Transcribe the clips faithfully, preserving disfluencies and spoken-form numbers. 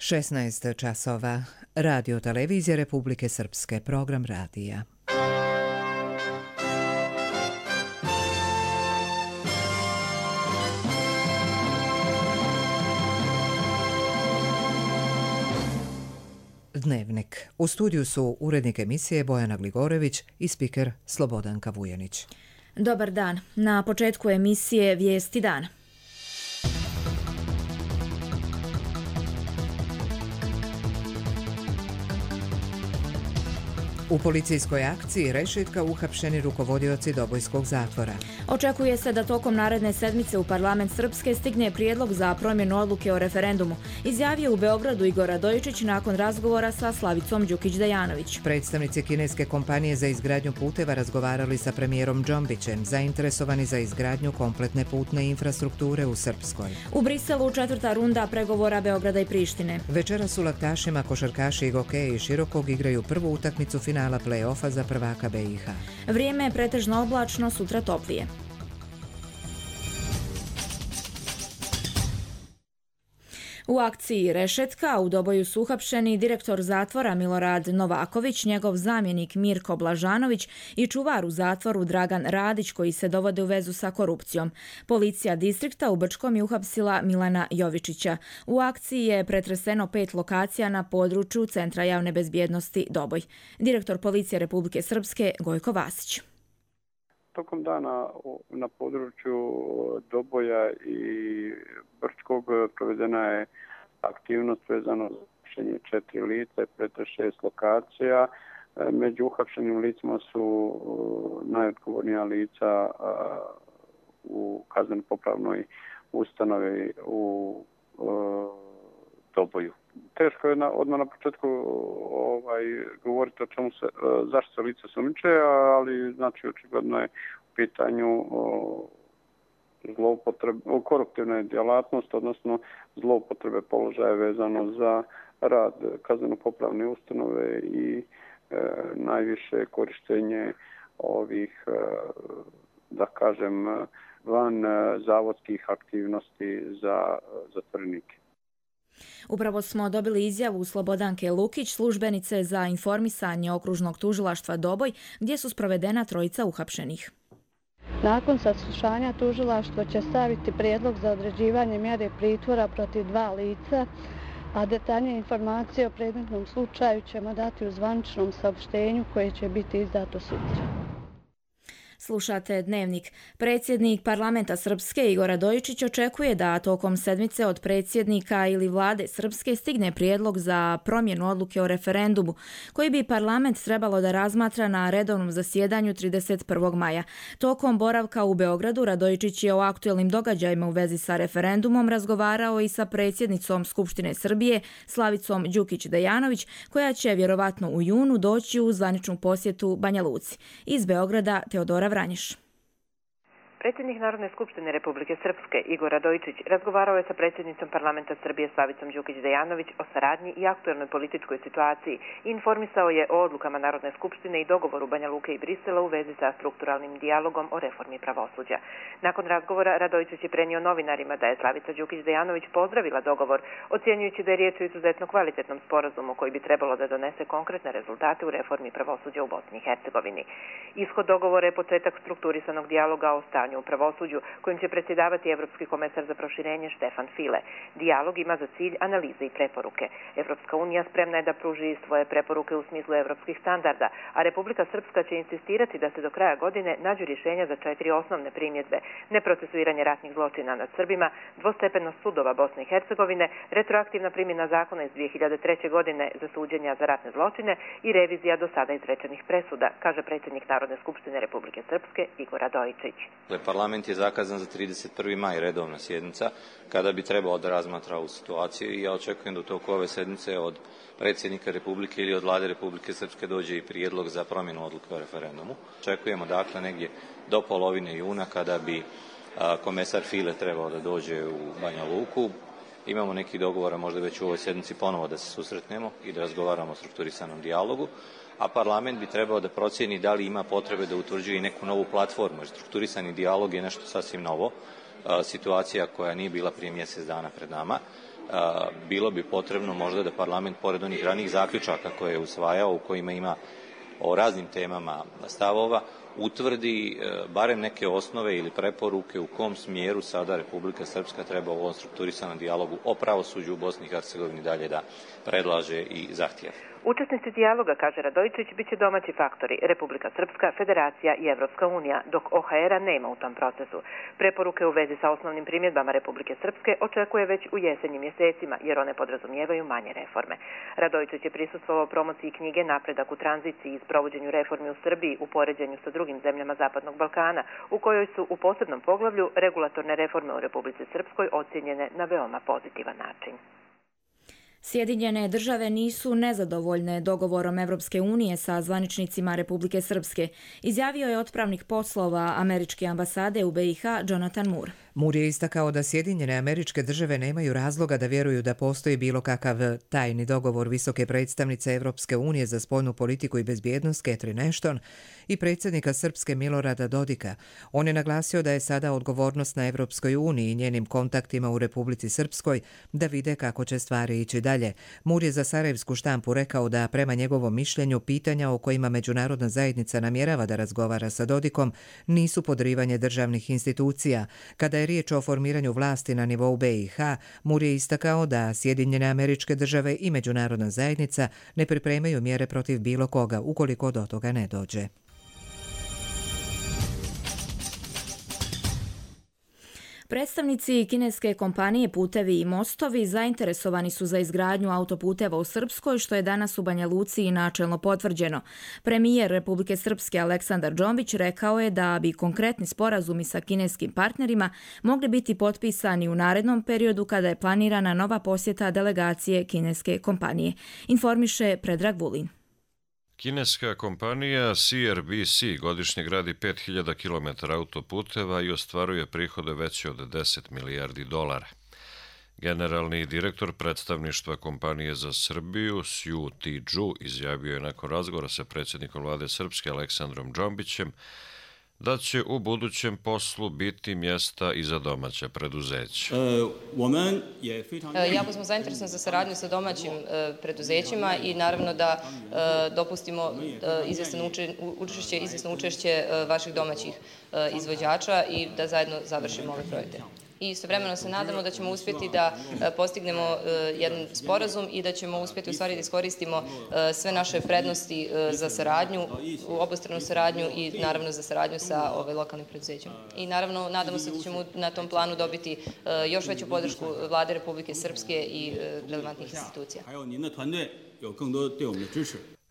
šesnaest časova. Radio televizija Republike Srpske, program radija. Dnevnik. U studiju su urednik emisije Bojana Gligorević i spiker Slobodanka Vujanić. Dobar dan. Na početku emisije Vijesti dana. U policijskoj akciji Rešetka uhapšeni rukovodioci Dobojskog zatvora. Očekuje se da tokom naredne sedmice u parlament Srpske stigne prijedlog za promjenu odluke o referendumu, izjavio u Beogradu Igor Radojičić nakon razgovora sa Slavicom Đukić-Dejanović. Predstavnici kineske kompanije za izgradnju puteva razgovarali sa premijerom Džombićem, zainteresovani za izgradnju kompletne putne infrastrukture u Srpskoj. U Briselu četvrta runda pregovora Beograda i Prištine. Večeras u laktašima košarkaši Igokeje i Širokog igraju prvu utakmicu finala play-offa za prvaka B i H. Vrijeme je pretežno oblačno, sutra toplije. U akciji Rešetka u Doboju su uhapšeni direktor zatvora Milorad Novaković, njegov zamjenik Mirko Blažanović i čuvar u zatvoru Dragan Radić, koji se dovode u vezu sa korupcijom. Policija distrikta u Brčkom je uhapsila Milana Jovičića. U akciji je pretreseno pet lokacija na području Centra javne bezbjednosti Doboj. Direktor Policije Republike Srpske Gojko Vasić. Tokom dana na području Doboja i Brčkog provedena je aktivnost vezano za uhapšenje četiri lica, preko šest lokacija. Među uhapšenim licima su najodgovornija lica u kazneno-popravnoj ustanovi u Doboju. Teško je na, odmah na početku ovaj, govoriti o čemu se, zašto se lice sumnjiče, ali znači očigledno je u pitanju o, zloupotrebe, o koruptivne djelatnost, odnosno zloupotrebe položaja vezano za rad kazneno-popravne ustanove i e, najviše korištenje ovih, e, da kažem, van zavodskih aktivnosti za zatvorenike. Upravo smo dobili izjavu Slobodanke Lukić, službenice za informisanje okružnog tužilaštva Doboj, gdje su sprovedena trojica uhapšenih. Nakon saslušanja tužilaštvo će staviti prijedlog za određivanje mjere pritvora protiv dva lica, a detaljnije informacije o predmetnom slučaju ćemo dati u zvaničnom saopštenju koje će biti izdato sutra. Slušate Dnevnik. Predsjednik parlamenta Srpske Igor Radojičić očekuje da tokom sedmice od predsjednika ili vlade Srpske stigne prijedlog za promjenu odluke o referendumu, koji bi parlament trebalo da razmatra na redovnom zasjedanju trideset prvog maja. Tokom boravka u Beogradu Radojičić je o aktuelnim događajima u vezi sa referendumom razgovarao i sa predsjednicom Skupštine Srbije Slavicom Đukić-Dejanović, koja će vjerovatno u junu doći u zvaničnu posjetu Banja Luci. Iz Beograda Teodora Vranješ. Predsjednik Narodne skupštine Republike Srpske Igor Radojičić razgovarao je sa predsjednicom parlamenta Srbije Slavicom Đukić-Dejanović o saradnji i aktuelnoj političkoj situaciji i informisao je o odlukama Narodne skupštine i dogovoru Banja Luke i Brisela u vezi sa strukturalnim dijalogom o reformi pravosuđa. Nakon razgovora Radojičić je prenio novinarima da je Slavica Đukić-Dejanović pozdravila dogovor, ocjenjujući da je riječ o izuzetno kvalitetnom sporazumu koji bi trebalo da donese konkretne rezultate u reformi pravosuđa u Bosni i Hercegovini. Ishod dogovora je početak strukturisanog dijaloga o stanju u pravosuđu, kojim će predsjedavati Evropski komesar za proširenje Štefan File. Dijalog ima za cilj analize i preporuke. Evropska unija spremna je da pruži svoje preporuke u smislu evropskih standarda, a Republika Srpska će insistirati da se do kraja godine nađu rješenja za četiri osnovne primjedbe: neprocesuiranje ratnih zločina nad Srbima, dvostepenost sudova Bosne i Hercegovine, retroaktivna primjena zakona iz dvije hiljade treće. godine za suđenja za ratne zločine i revizija do sada izrečenih presuda, kaže predsjednik Narodne skupštine Republike Srpske Igor Radojičić. Parlament je zakazan za trideset prvi maj, redovna sjednica, kada bi trebalo da razmatra ovu situaciju, i ja očekujem da u toku ove sedmice od predsjednika Republike ili od vlade Republike Srpske dođe i prijedlog za promjenu odluke o referendumu. Očekujemo dakle negdje do polovine juna, kada bi a, komesar File trebao da dođe u Banja Luku. Imamo neki dogovora možda već u ovoj sedmici ponovo da se susretnemo i da razgovaramo o strukturisanom dijalogu, a parlament bi trebao da procijeni da li ima potrebe da utvrđuje i neku novu platformu, jer strukturisani dijalog je nešto sasvim novo, situacija koja nije bila prije mjesec dana pred nama, bilo bi potrebno možda da parlament, pored onih ranijih zaključaka koje je usvajao, u kojima ima o raznim temama stavova, utvrdi barem neke osnove ili preporuke u kom smjeru sada Republika Srpska treba u ovom strukturisanom dijalogu o pravosuđu u Bosni i Hercegovini dalje da predlaže i zahtjeva. Učesnici dijaloga, kaže Radojičić, bit će domaći faktori Republika Srpska, Federacija i Evropska unija, dok O H R-a nema u tom procesu. Preporuke u vezi sa osnovnim primjedbama Republike Srpske očekuje već u jesenjim mjesecima, jer one podrazumijevaju manje reforme. Radojičić je prisustvovao promociji knjige Napredak u tranziciji i sprovođenju reformi u Srbiji u poređenju sa drugim zemljama Zapadnog Balkana, u kojoj su u posebnom poglavlju regulatorne reforme u Republici Srpskoj ocjenjene na veoma pozitivan način. Sjedinjene države nisu nezadovoljne dogovorom Evropske unije sa zvaničnicima Republike Srpske, izjavio je otpravnik poslova američke ambasade u B i H Jonathan Moore. Moore je istakao da Sjedinjene Američke Države nemaju razloga da vjeruju da postoji bilo kakav tajni dogovor visoke predstavnice Evropske unije za spoljnu politiku i bezbjednost Catherine Ashton i predsjednika Srpske Milorada Dodika. On je naglasio da je sada odgovornost na Evropskoj uniji i njenim kontaktima u Republici Srpskoj da vide kako će stvari ići dalje. Moore je za sarajevsku štampu rekao da prema njegovom mišljenju pitanja o kojima međunarodna zajednica namjerava da razgovara sa Dodikom nisu podrivanje državnih institucija. Kada je riječ o formiranju vlasti na nivou B i H, Moore je istakao da Sjedinjene Američke Države i međunarodna zajednica ne pripremaju mjere protiv bilo koga ukoliko do toga ne dođe. Predstavnici kineske kompanije Putevi i mostovi zainteresovani su za izgradnju autoputeva u Srpskoj, što je danas u Banja Luci i načelno potvrđeno. Premijer Republike Srpske Aleksandar Džombić rekao je da bi konkretni sporazumi sa kineskim partnerima mogli biti potpisani u narednom periodu kada je planirana nova posjeta delegacije kineske kompanije. Informiše Predrag Vulin. Kineska kompanija C R B C godišnje gradi pet hiljada kilometara autoputeva i ostvaruje prihode veće od deset milijardi dolara. Generalni direktor predstavništva kompanije za Srbiju, Sju Ti-džu, izjavio je nakon razgovora sa predsjednikom vlade Srpske Aleksandrom Džombićem da će u budućem poslu biti mjesta i za domaća preduzeća. Jako smo zainteresovani za saradnju sa domaćim preduzećima i naravno da dopustimo učešće, izvjesno učešće vaših domaćih izvođača i da zajedno završimo ove projekte. I istovremeno se nadamo da ćemo uspjeti da postignemo jedan sporazum i da ćemo uspjeti u stvari da iskoristimo sve naše prednosti za saradnju, u obostranu saradnju i naravno za saradnju sa ove lokalnim preduzećima. I naravno nadamo se da ćemo na tom planu dobiti još veću podršku Vlade Republike Srpske i relevantnih institucija.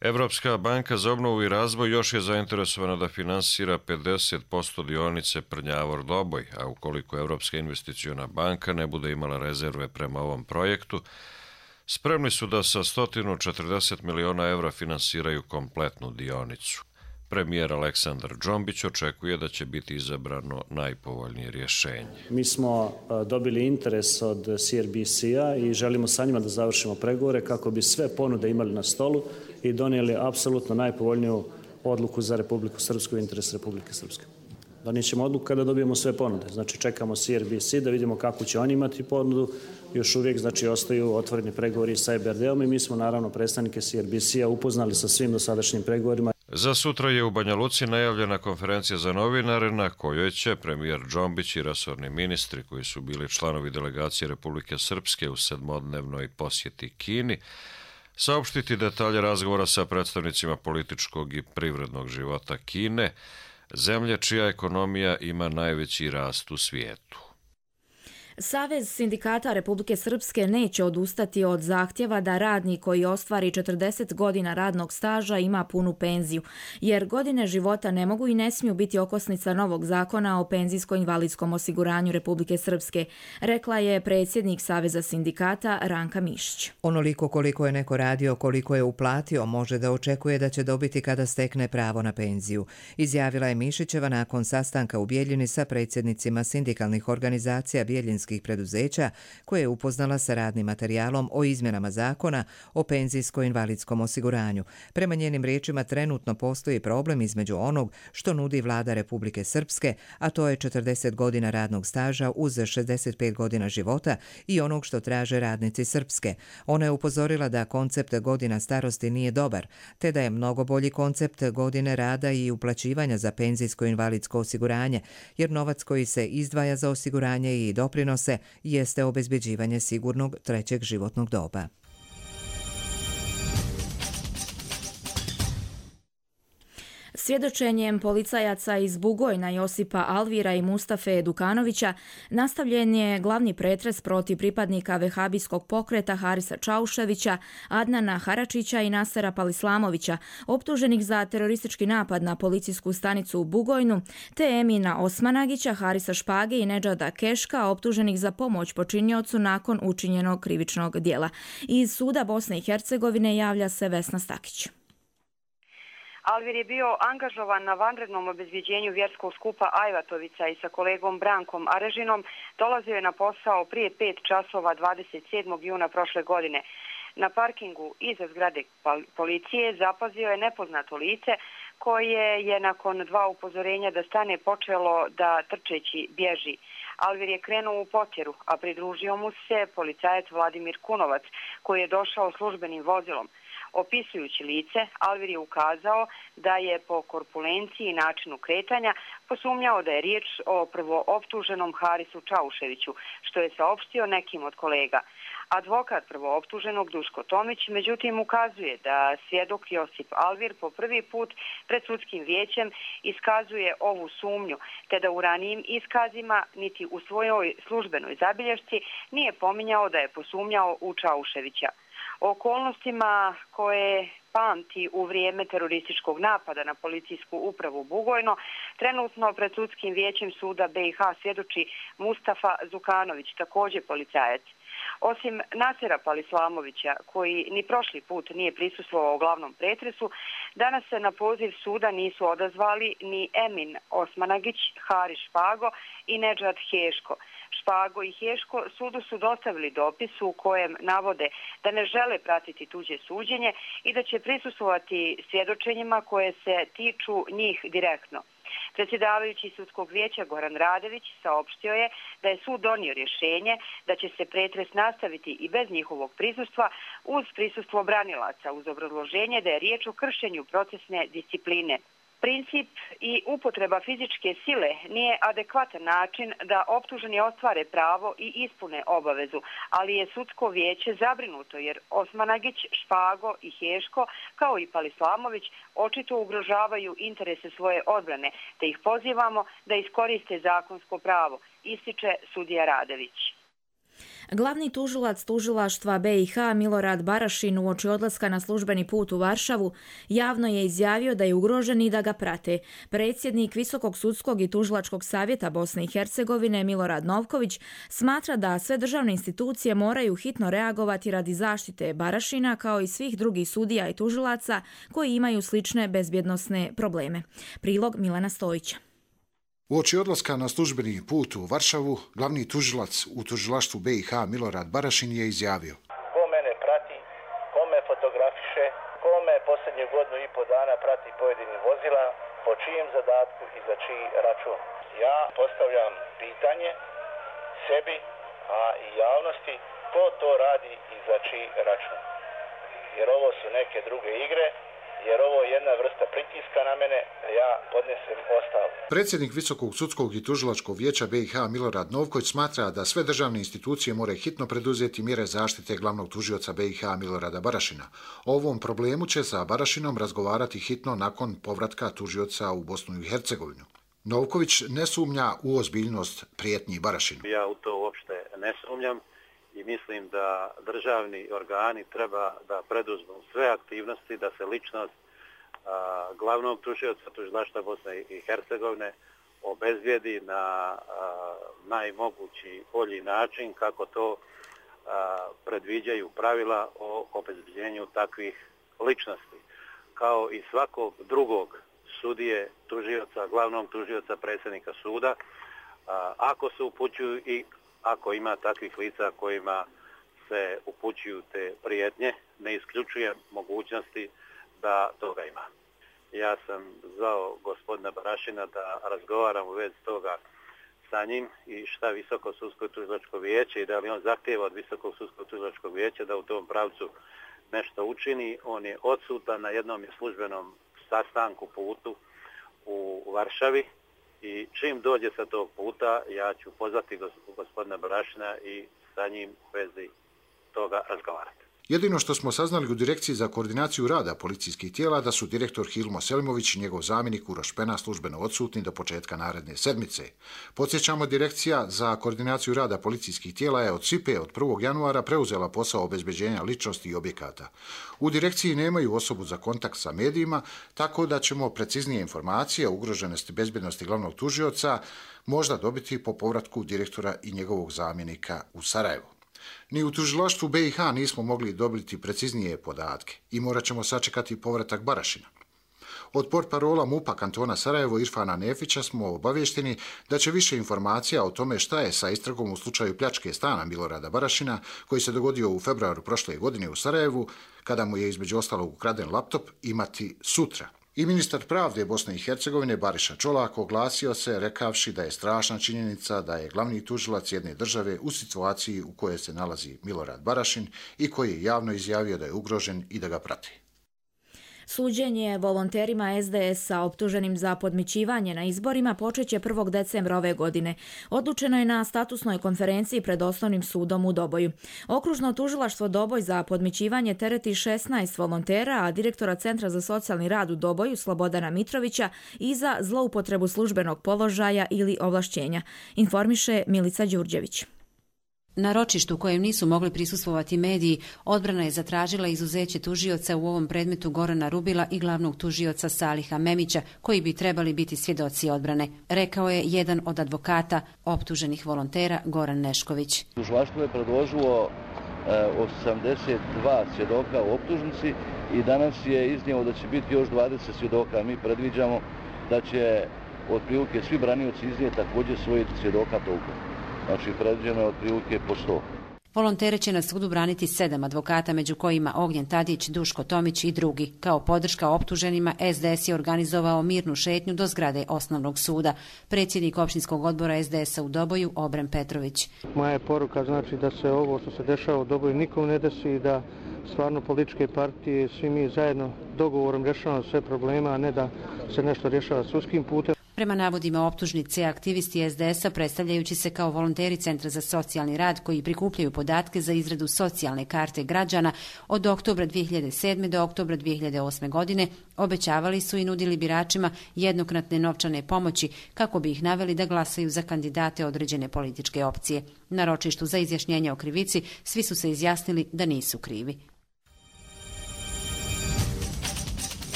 Evropska banka za obnovu i razvoj još je zainteresovana da finansira pedeset posto dionice Prnjavor-Doboj, a ukoliko Evropska investiciona banka ne bude imala rezerve prema ovom projektu, spremni su da sa sto četrdeset miliona evra finansiraju kompletnu dionicu. Premijer Aleksandar Džombić očekuje da će biti izabrano najpovoljnije rješenje. Mi smo dobili interes od C R B C-a i želimo sa njima da završimo pregovore kako bi sve ponude imali na stolu i donijeli apsolutno najpovoljniju odluku za Republiku Srpsku i interes Republike Srpske. Donijet ćemo odluku kada dobijemo sve ponude. Znači čekamo C R B C da vidimo kako će oni imati ponudu. Još uvijek znači ostaju otvoreni pregovori sa E B R D-om i mi smo naravno predstavnike C R B C-a upoznali sa svim dosadašnjim pregovorima. Za sutra je u Banja Luci najavljena konferencija za novinare na kojoj će premijer Džombić i resorni ministri koji su bili članovi delegacije Republike Srpske u sedmodnevnoj posjeti Kini saopštiti detalje razgovora sa predstavnicima političkog i privrednog života Kine, zemlje čija ekonomija ima najveći rast u svijetu. Savez sindikata Republike Srpske neće odustati od zahtjeva da radnik koji ostvari četrdeset godina radnog staža ima punu penziju, jer godine života ne mogu i ne smiju biti okosnica novog zakona o penzijsko-invalidskom osiguranju Republike Srpske, rekla je predsjednik Saveza sindikata Ranka Mišić. Onoliko koliko je neko radio, koliko je uplatio, može da očekuje da će dobiti kada stekne pravo na penziju, izjavila je Mišićeva nakon sastanka u Bijeljini sa predsjednicima sindikalnih organizacija Bijeljinske hrvatskih preduzeća koje je upoznala sa radnim materijalom o izmjenama zakona o penzijsko-invalidskom osiguranju. Prema njenim riječima trenutno postoji problem između onog što nudi vlada Republike Srpske, a to je četrdeset godina radnog staža uz šezdeset pet godina života, i onog što traže radnici Srpske. Ona je upozorila da koncept godina starosti nije dobar, te da je mnogo bolji koncept godine rada i uplaćivanja za penzijsko-invalidsko osiguranje, jer novac koji se izdvaja za osiguranje i doprinose jeste obezbeđivanje sigurnog trećeg životnog doba. Svjedočenjem policajaca iz Bugojna Josipa Alvira i Mustafe Dukanovića nastavljen je glavni pretres protiv pripadnika vehabijskog pokreta Harisa Čauševića, Adnana Haračića i Nasera Palislamovića, optuženih za teroristički napad na policijsku stanicu u Bugojnu, te Emina Osmanagića, Harisa Špage i Nedžada Keška, optuženih za pomoć počiniocu nakon učinjenog krivičnog dijela. Iz suda Bosne i Hercegovine javlja se Vesna Stakić. Alvir je bio angažovan na vanrednom obezbjeđenju vjerskog skupa Ajvatovica i sa kolegom Brankom Arežinom dolazio je na posao prije pet časova dvadeset sedmog juna prošle godine. Na parkingu iza zgrade policije zapazio je nepoznato lice koje je nakon dva upozorenja da stane počelo da trčeći bježi. Alvir je krenuo u potjeru, a pridružio mu se policajac Vladimir Kunovac koji je došao službenim vozilom. Opisujući lice, Alvir je ukazao da je po korpulenciji i načinu kretanja posumnjao da je riječ o prvooptuženom Harisu Čauševiću, što je saopštio nekim od kolega. Advokat prvooptuženog Duško Tomić međutim ukazuje da svjedok Josip Alvir po prvi put pred sudskim vijećem iskazuje ovu sumnju, te da u ranijim iskazima niti u svojoj službenoj zabilješci nije pominjao da je posumnjao u Čauševića. O okolnostima koje pamti u vrijeme terorističkog napada na policijsku upravu Bugojno, trenutno pred sudskim vijećem suda B i H svjedoči Mustafa Zukanović, također policajac. Osim Nasera Palislamovića, koji ni prošli put nije prisustvovao glavnom pretresu, danas se na poziv suda nisu odazvali ni Emin Osmanagić, Haris Špago i Nedžad Heško. Špago i Heško sudu su dostavili dopis u kojem navode da ne žele pratiti tuđe suđenje i da će prisustvovati svjedočenjima koje se tiču njih direktno. Predsjedavajući sudskog vijeća Goran Radević saopštio je da je sud donio rješenje da će se pretres nastaviti i bez njihovog prisustva uz prisustvo branilaca, uz obrazloženje da je riječ o kršenju procesne discipline. Princip i upotreba fizičke sile nije adekvatan način da optuženi ostvare pravo i ispune obavezu, ali je sudsko vijeće zabrinuto jer Osmanagić, Špago i Heško, kao i Palislamović, očito ugrožavaju interese svoje odbrane, te ih pozivamo da iskoriste zakonsko pravo, ističe sudija Radević. Glavni tužilac tužilaštva B i H Milorad Barašin uoči odlaska na službeni put u Varšavu javno je izjavio da je ugrožen i da ga prate. Predsjednik Visokog sudskog i tužilačkog savjeta Bosne i Hercegovine Milorad Novković smatra da sve državne institucije moraju hitno reagovati radi zaštite Barašina kao i svih drugih sudija i tužilaca koji imaju slične bezbjednosne probleme. Prilog Milana Stojića. Uoči odlaska na službeni put u Varšavu, glavni tužilac u tužilaštvu B i H Milorad Barašin je izjavio: ko mene prati, ko me fotografiše, ko me posljednju godinu i po dana prati pojedinih vozila, po čijem zadatku i za čiji račun. Ja postavljam pitanje sebi, a i javnosti, ko to radi i za čiji račun. Jer ovo su neke druge igre, jer ovo je jedna vrsta pritiska na mene, da ja podnesem ostavku. Predsjednik Visokog sudskog i tužilačkog vijeća B i H Milorad Novković smatra da sve državne institucije moraju hitno preduzeti mjere zaštite glavnog tužioca B i H Milorada Barašina. O ovom problemu će sa Barašinom razgovarati hitno nakon povratka tužioca u Bosnu i Hercegovinu. Novković ne sumnja u ozbiljnost prijetnji Barašinu. Ja u to uopšte ne sumnjam i mislim da državni organi treba da preduzmu sve aktivnosti da se ličnost a, glavnog tužioca tužilaštva Bosne i Hercegovine obezbijedi na a, najmogući bolji način kako to a, predviđaju pravila o obezbijeđenju takvih ličnosti. Kao i svakog drugog sudije, tužioca, glavnog tužioca, predsjednika suda, a, ako se upućuju i ako ima takvih lica kojima se upućuju te prijetnje, ne isključuje mogućnosti da toga ima. Ja sam zvao gospodina Barašina da razgovaram u vezi toga sa njim i šta Visoko sudsko tužilačko vijeće i da li on zahtijeva od Visokog sudskog tužilačkog vijeća da u tom pravcu nešto učini. On je odsutan, na jednom je službenom sastanku putu u Varšavi i čim dođe sa tog puta ja ću pozvati gospodina Barašina i sa njim u vezi toga razgovarati. Jedino što smo saznali u Direkciji za koordinaciju rada policijskih tijela da su direktor Hilmo Selimović i njegov zamjenik Uroš Pena službeno odsutni do početka naredne sedmice. Podsjećamo, Direkcija za koordinaciju rada policijskih tijela je od S I P E od prvog januara preuzela posao obezbeđenja ličnosti i objekata. U direkciji nemaju osobu za kontakt sa medijima, tako da ćemo preciznije informacije o ugroženosti bezbjednosti glavnog tužioca možda dobiti po povratku direktora i njegovog zamjenika u Sarajevo. Ni u tužilaštvu B i H nismo mogli dobiti preciznije podatke i morat ćemo sačekati povratak Barašina. Od portparola MUP-a kantona Sarajevo Irfana Nefića smo obavješteni da će više informacija o tome šta je sa istragom u slučaju pljačke stana Milorada Barašina, koji se dogodio u februaru prošle godine u Sarajevu, kada mu je između ostalog ukraden laptop, imati sutra. I ministar pravde Bosne i Hercegovine Bariša Čolak oglasio se rekavši da je strašna činjenica da je glavni tužilac jedne države u situaciji u kojoj se nalazi Milorad Barašin i koji je javno izjavio da je ugrožen i da ga prati. Suđenje volonterima S D S-a optuženim za podmićivanje na izborima počeće prvog decembra ove godine. Odlučeno je na statusnoj konferenciji pred Osnovnim sudom u Doboju. Okružno tužilaštvo Doboj za podmićivanje tereti šesnaest volontera, a direktora Centra za socijalni rad u Doboju Slobodana Mitrovića i za zloupotrebu službenog položaja ili ovlašćenja, informiše Milica Đurđević. Na ročištu kojem nisu mogli prisustvovati mediji, odbrana je zatražila izuzeće tužioca u ovom predmetu Gorana Rubila i glavnog tužioca Saliha Memića, koji bi trebali biti svjedoci odbrane, rekao je jedan od advokata optuženih volontera Goran Nešković. Tužilaštvo je predložilo osamdeset dva svjedoka u optužnici i danas je iznijelo da će biti još dvadeset svjedoka. Mi predviđamo da će otprilike svi branioci iznijeti također svojih svjedoka toliko. Znači, predviđeno je otprilike po sto. Volontere će na sudu braniti sedam advokata, među kojima Ognjen Tadić, Duško Tomić i drugi. Kao podrška optuženima, S D S je organizovao mirnu šetnju do zgrade Osnovnog suda. Predsjednik opštinskog odbora S D S-a u Doboju, Obren Petrović. Moja je poruka znači da se ovo što se dešava u Doboju nikom ne desi i da stvarno političke partije, svi mi zajedno dogovorom rješavamo sve problema, a ne da se nešto rješava sudskim putem. Prema navodima optužnice, aktivisti S D S-a, predstavljajući se kao volonteri Centra za socijalni rad koji prikupljaju podatke za izradu socijalne karte građana, od oktobra dvije hiljade sedme. do oktobra dvije hiljade osme. godine obećavali su i nudili biračima jednokratne novčane pomoći kako bi ih naveli da glasaju za kandidate određene političke opcije. Na ročištu za izjašnjenje o krivici svi su se izjasnili da nisu krivi.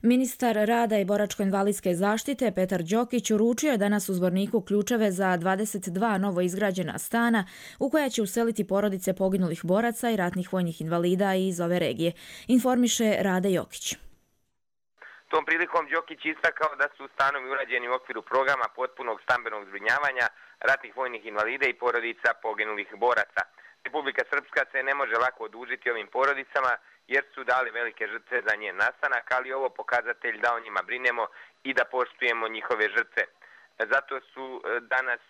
Ministar rada i boračko-invalidske zaštite Petar Đokić uručio je danas u Zvorniku ključeve za dvadeset dva novo izgrađena stana u koja će useliti porodice poginulih boraca i ratnih vojnih invalida iz ove regije, informiše Rade Jokić. Tom prilikom Đokić istakao da su stanovi urađeni u okviru programa potpunog stambenog zbrinjavanja ratnih vojnih invalida i porodica poginulih boraca. Republika Srpska se ne može lako odužiti ovim porodicama jer su dali velike žrtve za njen nastanak, ali ovo pokazatelj da o njima brinemo i da poštujemo njihove žrtve. Zato su danas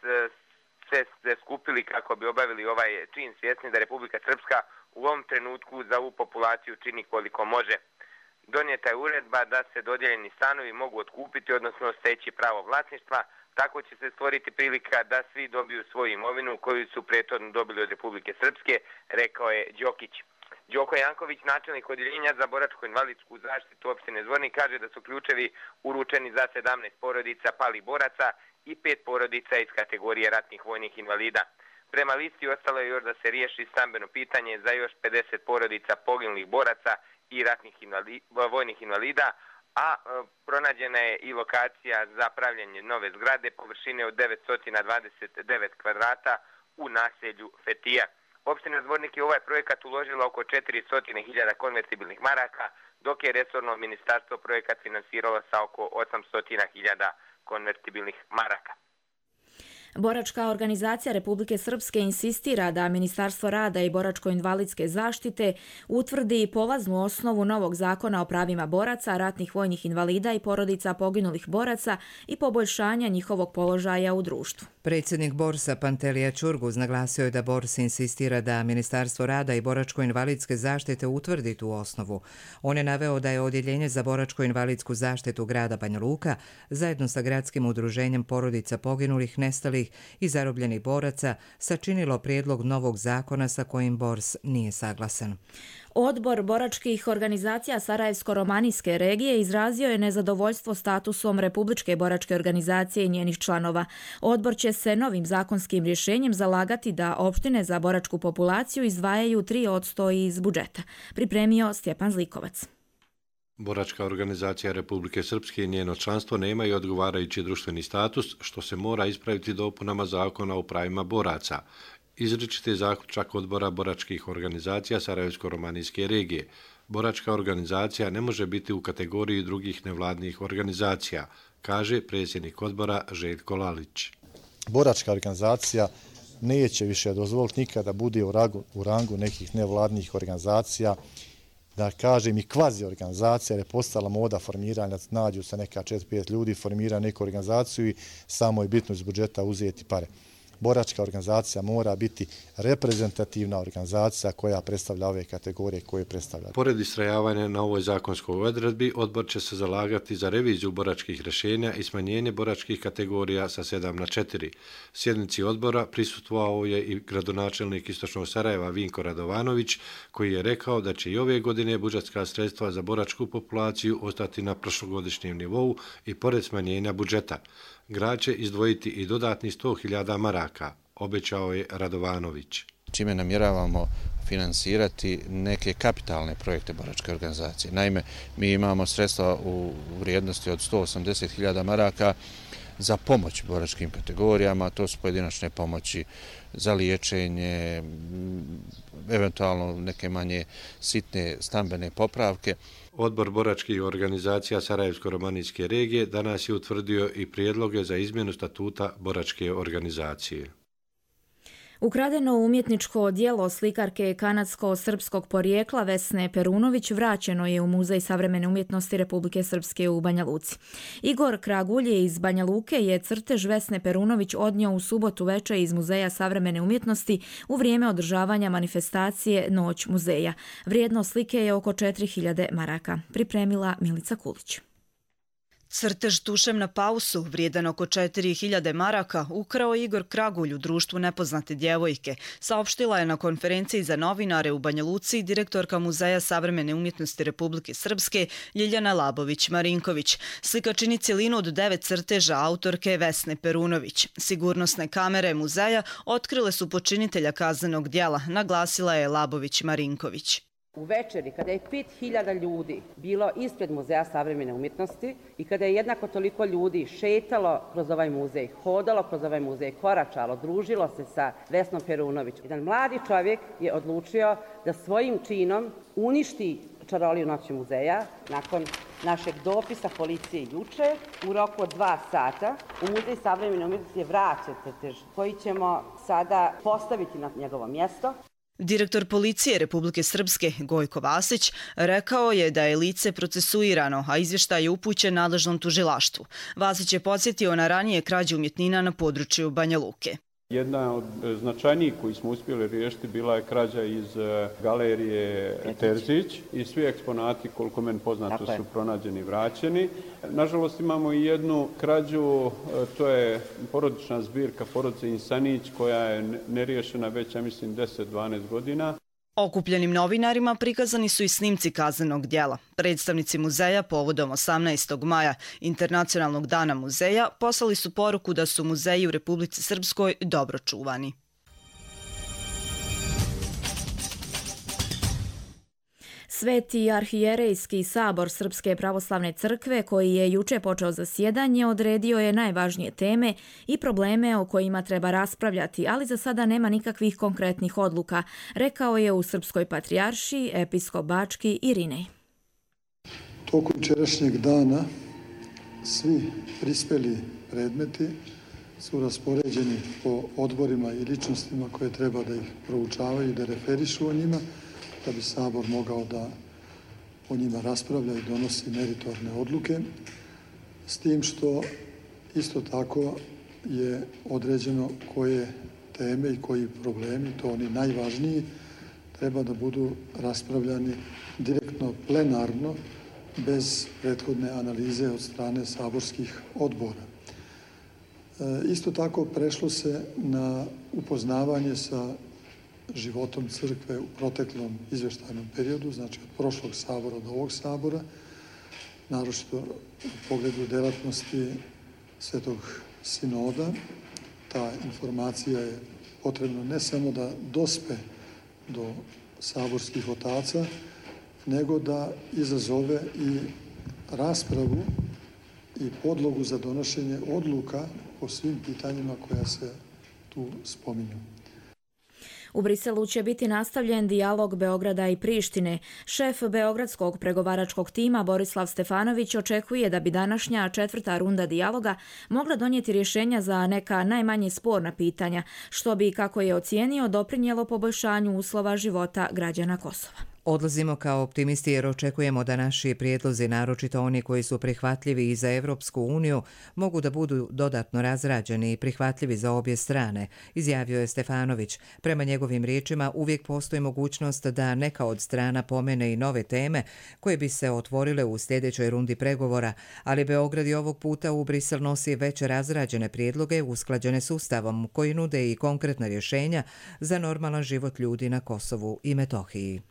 se skupili kako bi obavili ovaj čin, svjesni da Republika Srpska u ovom trenutku za ovu populaciju čini koliko može. Donijeta je uredba da se dodijeljeni stanovi mogu otkupiti, odnosno steći pravo vlasništva. Tako će se stvoriti prilika da svi dobiju svoju imovinu koju su prethodno dobili od Republike Srpske, rekao je Đokić. Đoko Janković, načelnik odjeljenja za boračko-invalidsku zaštitu opštine Zvornik, kaže da su ključevi uručeni za sedamnaest porodica palih boraca i pet porodica iz kategorije ratnih vojnih invalida. Prema listi ostalo je još da se riješi stambeno pitanje za još pedeset porodica poginulih boraca i ratnih invalida, vojnih invalida, a e, pronađena je i lokacija za pravljenje nove zgrade površine od devetsto dvadeset devet kvadrata u naselju Fetija. Opština Zvornik je ovaj projekat uložila oko četiristo hiljada konvertibilnih maraka, dok je resorno ministarstvo projekat finansiralo sa oko osamsto hiljada konvertibilnih maraka. Boračka organizacija Republike Srpske insistira da Ministarstvo rada i boračko-invalidske zaštite utvrdi polaznu osnovu novog zakona o pravima boraca, ratnih vojnih invalida i porodica poginulih boraca i poboljšanja njihovog položaja u društvu. Predsjednik Borsa Pantelija Čurguz naglasio je da Bors insistira da Ministarstvo rada i boračko-invalidske zaštite utvrdi tu osnovu. On je naveo da je Odjeljenje za boračko-invalidsku zaštitu grada Banja Luka zajedno sa gradskim udruženjem porodica poginulih, nestalih i zarobljenih boraca sačinilo prijedlog novog zakona sa kojim Bors nije saglasan. Odbor boračkih organizacija Sarajevsko-romanijske regije izrazio je nezadovoljstvo statusom Republičke boračke organizacije i njenih članova. Odbor će se novim zakonskim rješenjem zalagati da opštine za boračku populaciju izdvajaju tri posto iz budžeta. Pripremio Stjepan Zlikovac. Boračka organizacija Republike Srpske i njeno članstvo nemaju odgovarajući društveni status, što se mora ispraviti dopunama zakona o pravima boraca. Izričit je zaključak odbora boračkih organizacija Sarajevsko-romanijske regije. Boračka organizacija ne može biti u kategoriji drugih nevladnih organizacija, kaže predsjednik odbora Željko Lalić. Boračka organizacija neće više dozvoliti nikada da bude u rangu, u rangu nekih nevladnih organizacija, da kažem i kvazi organizacija, jer je postala moda formiranja, nađu se neka četiri pet ljudi, formira neku organizaciju i samo je bitno iz budžeta uzeti pare. Boračka organizacija mora biti reprezentativna organizacija koja predstavlja ove kategorije koje predstavlja. Pored istrajavanja na ovoj zakonskoj odredbi, odbor će se zalagati za reviziju boračkih rješenja i smanjenje boračkih kategorija sa sedam na četiri. Sjednici odbora prisustvovao je i gradonačelnik Istočnog Sarajeva Vinko Radovanović, koji je rekao da će i ove godine budžetska sredstva za boračku populaciju ostati na prošlogodišnjem nivou i pored smanjenja budžeta. Grad će izdvojiti i dodatni sto hiljada maraka, obećao je Radovanović. Čime namjeravamo finansirati neke kapitalne projekte boračke organizacije. Naime, mi imamo sredstva u vrijednosti od sto osamdeset hiljada maraka za pomoć boračkim kategorijama, to su pojedinačne pomoći za liječenje, eventualno neke manje sitne stambene popravke. Odbor boračkih organizacija Sarajevsko-romanijske regije danas je utvrdio i prijedloge za izmjenu statuta boračke organizacije. Ukradeno umjetničko djelo slikarke kanadsko-srpskog porijekla Vesne Perunović vraćeno je u Muzej savremene umjetnosti Republike Srpske u Banja Luci. Igor Kragulje iz Banja Luke je crtež Vesne Perunović odnio u subotu veče iz Muzeja savremene umjetnosti u vrijeme održavanja manifestacije Noć muzeja. Vrijednost slike je oko četiri hiljade maraka. Pripremila Milica Kulić. Crtež Tušem na pausu, vrijedan oko četiri hiljade maraka, ukrao Igor Kragulj u društvu nepoznate djevojke, saopštila je na konferenciji za novinare u Banja Luci direktorka Muzeja savremene umjetnosti Republike Srpske Ljiljana Labović-Marinković. Slika čini cjelinu od devet crteža autorke Vesne Perunović. Sigurnosne kamere muzeja otkrile su počinitelja kaznenog djela, naglasila je Labović-Marinković. U večeri, kada je pet hiljada ljudi bilo ispred Muzeja savremene umjetnosti i kada je jednako toliko ljudi šetalo kroz ovaj muzej, hodalo kroz ovaj muzej, koračalo, družilo se sa Vesnom Perunović, jedan mladi čovjek je odlučio da svojim činom uništi čaroliju Noći muzeja. Nakon našeg dopisa policije juče, u roku od dva sata, u Muzej savremene umjetnosti je vraćen crtež koji ćemo sada postaviti na njegovo mjesto. Direktor policije Republike Srpske Gojko Vasić rekao je da je lice procesuirano, a izvještaj je upućen nadležnom tužilaštvu. Vasić je podsjetio na ranije krađe umjetnina na području Banja Luke. Jedna od značajnijih koji smo uspjeli riješiti bila je krađa iz galerije Terzić i svi eksponati, koliko meni poznato, su pronađeni i vraćeni. Nažalost imamo i jednu krađu, to je porodična zbirka porodice Insanić koja je neriješena već, ja mislim, deset do dvanaest godina. Okupljenim novinarima prikazani su i snimci kaznenog djela. Predstavnici muzeja povodom osamnaestog maja, Internacionalnog dana muzeja, poslali su poruku da su muzeji u Republici Srpskoj dobro čuvani. Sveti arhijerejski sabor Srpske pravoslavne crkve, koji je juče počeo zasjedanje, odredio je najvažnije teme i probleme o kojima treba raspravljati, ali za sada nema nikakvih konkretnih odluka, rekao je u Srpskoj patrijaršiji episkop Bački Irinej. Tokom jučerašnjeg dana svi prispeli predmeti su raspoređeni po odborima i ličnostima koje treba da ih proučavaju i da referišu o njima, da bi Sabor mogao da o njima raspravlja i donosi meritorne odluke, s tim što isto tako je određeno koje teme i koji problemi, to oni najvažniji, treba da budu raspravljani direktno plenarno, bez prethodne analize od strane saborskih odbora. Isto tako prešlo se na upoznavanje sa životom crkve u proteklom izveštajnom periodu, znači od prošlog sabora do ovog sabora, naročito u pogledu delatnosti Svetog sinoda. Ta informacija je potrebno ne samo da dospe do saborskih otaca, nego da izazove i raspravu i podlogu za donošenje odluka po svim pitanjima koja se tu spominju. U Briselu će biti nastavljen dijalog Beograda i Prištine. Šef beogradskog pregovaračkog tima Borislav Stefanović očekuje da bi današnja četvrta runda dijaloga mogla donijeti rješenja za neka najmanje sporna pitanja, što bi, kako je ocijenio, doprinijelo poboljšanju uslova života građana Kosova. Odlazimo kao optimisti jer očekujemo da naši prijedlozi, naročito oni koji su prihvatljivi i za Evropsku uniju, mogu da budu dodatno razrađeni i prihvatljivi za obje strane, izjavio je Stefanović. Prema njegovim riječima uvijek postoji mogućnost da neka od strana pomene i nove teme koje bi se otvorile u sljedećoj rundi pregovora, ali Beograd i ovog puta u Brisel nosi već razrađene prijedloge usklađene s Ustavom koji nude i konkretna rješenja za normalan život ljudi na Kosovu i Metohiji.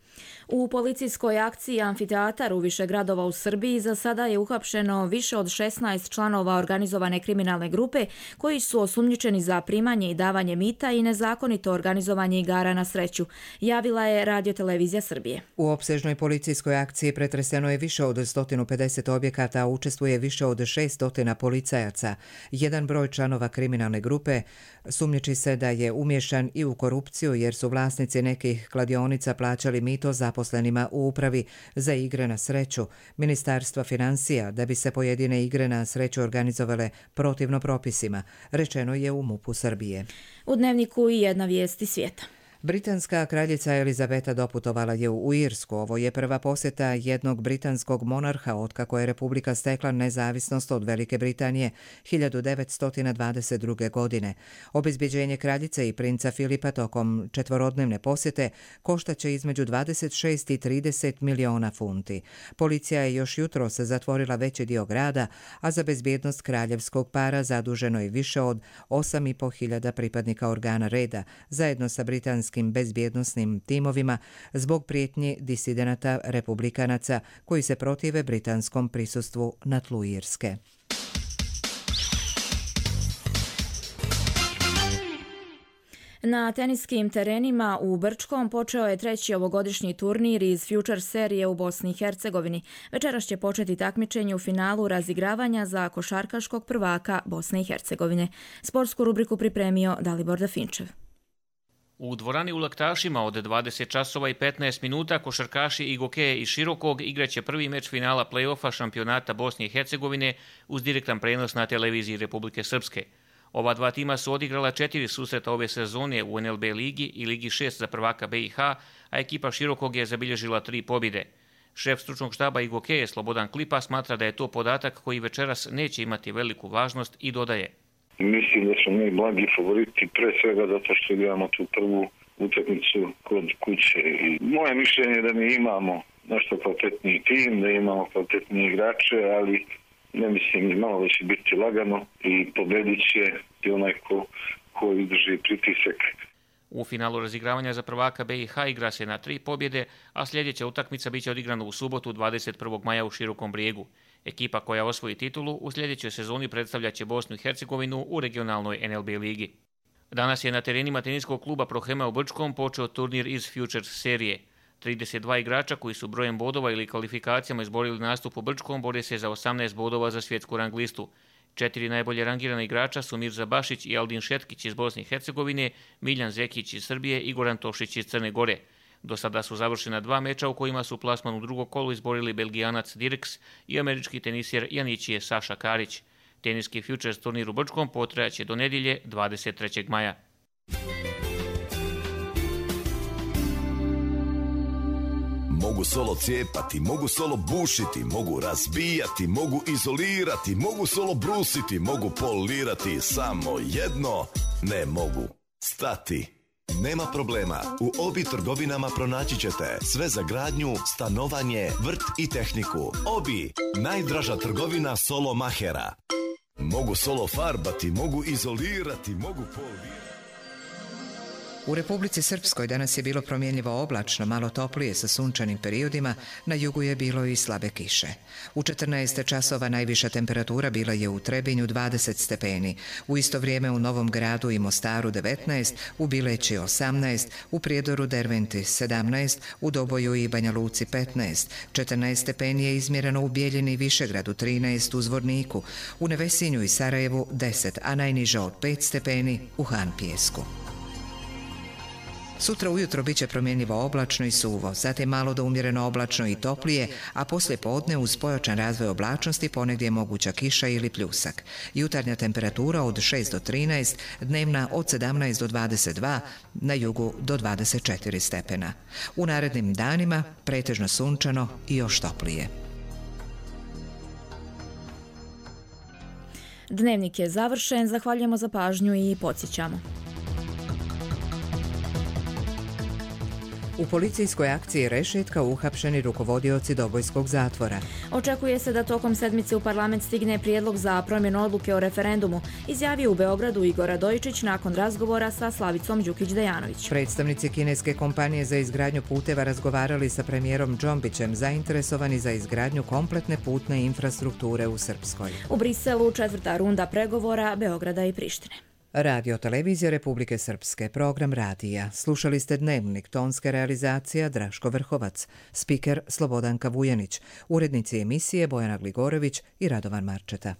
U policijskoj akciji Amfiteatar u više gradova u Srbiji za sada je uhapšeno više od šesnaest članova organizovane kriminalne grupe koji su osumnjičeni za primanje i davanje mita i nezakonito organizovanje igara na sreću, javila je Radiotelevizija Srbije. U opsežnoj policijskoj akciji pretreseno je više od sto pedeset objekata, a učestvuje više od šessto policajaca. Jedan broj članova kriminalne grupe sumnjiči se da je umješan i u korupciju jer su vlasnici nekih kladionica plaćali mito zaposlenima u upravi za igre na sreću Ministarstva financija da bi se pojedine igre na sreću organizovale protivno propisima, rečeno je u MUP-u Srbije. U Dnevniku i jedna vijest iz svijeta. Britanska kraljica Elizabeta doputovala je u Irsku. Ovo je prva posjeta jednog britanskog monarha otkako je Republika stekla nezavisnost od Velike Britanije hiljadu devetsto dvadeset druge. godine. Obezbjeđenje kraljice i princa Filipa tokom četvorodnevne posjete koštaće između dvadeset šest i trideset miliona funti. Policija je još jutros zatvorila veći dio grada, a za bezbjednost kraljevskog para zaduženo je više od osam i po hiljada pripadnika organa reda, zajedno sa britanskim bezbjednosnim timovima zbog prijetnji disidenata republikanaca koji se protive britanskom prisustvu na tlu Irske. Na teniskim terenima u Brčkom počeo je treći ovogodišnji turnir iz Future serije u Bosni i Hercegovini. Večeras će početi takmičenje u finalu razigravanja za košarkaškog prvaka Bosne i Hercegovine. Sportsku rubriku pripremio Dalibor Dafinčev. U dvorani u Laktašima od dvadeset časova i petnaest minuta košarkaši Igokeje i Širokog igraće prvi meč finala play-offa šampionata Bosne i Hercegovine uz direktan prenos na televiziji Republike Srpske. Ova dva tima su odigrala četiri susreta ove sezone u N L B ligi i Ligi šest za prvaka B i H, a ekipa Širokog je zabilježila tri pobjede. Šef stručnog štaba Igokeje Slobodan Klipa smatra da je to podatak koji večeras neće imati veliku važnost i dodaje. Mislim da smo mi blagi favoriti, pre svega zato što imamo tu prvu utakmicu kod kuće. I moje mišljenje je da mi imamo nešto kvalitetniji tim, da imamo kvalitetnije igrače, ali ne mislim, malo da će biti lagano i pobedit će i onaj ko, ko izdrži pritisak. U finalu razigravanja za prvaka B i H igra se na tri pobjede, a sljedeća utakmica biće odigrana u subotu dvadeset prvog maja u Širokom Brijegu. Ekipa koja osvoji titulu u sljedećoj sezoni predstavljaće Bosnu i Hercegovinu u regionalnoj N L B ligi. Danas je na terenima teniskog kluba Prohema u Brčkom počeo turnir iz Futures serije. trideset dva igrača koji su brojem bodova ili kvalifikacijama izborili nastup u Brčkom bore se za osamnaest bodova za svjetsku rang listu. Četiri najbolje rangirana igrača su Mirza Bašić i Aldin Šetkić iz Bosne i Hercegovine, Miljan Zekić iz Srbije i Goran Tošić iz Crne Gore. Do sada su završena dva meča u kojima su plasman u drugo kolo izborili Belgijanac Dirks i američki tenisjer Janićije Saša Karić. Teniski Futures turnir u Brčkom potrajaće do nedjelje dvadeset trećeg maja. Mogu solo cijepati, mogu solo bušiti, mogu razbijati, mogu izolirati, mogu solo brusiti, mogu polirati, samo jedno ne mogu stati. Nema problema, u Obi trgovinama pronaći ćete sve za gradnju, stanovanje, vrt i tehniku. Obi, najdraža trgovina solo mahera. Mogu solo farbati, mogu izolirati, mogu polirati. U Republici Srpskoj danas je bilo promjenljivo oblačno, malo toplije sa sunčanim periodima, na jugu je bilo i slabe kiše. U četrnaest časova najviša temperatura bila je u Trebinju dvadeset stepeni, u isto vrijeme u Novom Gradu i Mostaru devetnaest, u Bileći osamnaest, u Prijedoru Derventi sedamnaest, u Doboju i Banja Luci petnaest, četrnaest stepeni je izmjereno u Bijeljini i Višegradu, trinaest u Zvorniku, u Nevesinju i Sarajevu deset, a najniže od pet stepeni u Han Pijesku. Sutra ujutro biće promjenljivo oblačno i suvo, zatim malo do umjereno oblačno i toplije, a poslije podne uz pojačan razvoj oblačnosti ponegdje je moguća kiša ili pljusak. Jutarnja temperatura od šest do trinaest, dnevna od sedamnaest do dvadeset dva, na jugu do dvadeset četiri stepena. U narednim danima pretežno sunčano i još toplije. Dnevnik je završen, zahvaljujemo za pažnju i podsjećamo. U policijskoj akciji Rešetka uhapšeni rukovodioci Dobojskog zatvora. Očekuje se da tokom sedmice u parlament stigne prijedlog za promjenu odluke o referendumu, izjavio u Beogradu Igor Radojičić nakon razgovora sa Slavicom Đukić-Dejanović. Predstavnici kineske kompanije za izgradnju puteva razgovarali sa premijerom Džombićem, zainteresovani za izgradnju kompletne putne infrastrukture u Srpskoj. U Briselu četvrta runda pregovora Beograda i Prištine. Radio Televizija Republike Srpske, program radija. Slušali ste Dnevnik, tonska realizacija Draško Vrhovac, spiker Slobodanka Vujanić, urednici emisije Bojana Gligorović i Radovan Marčeta.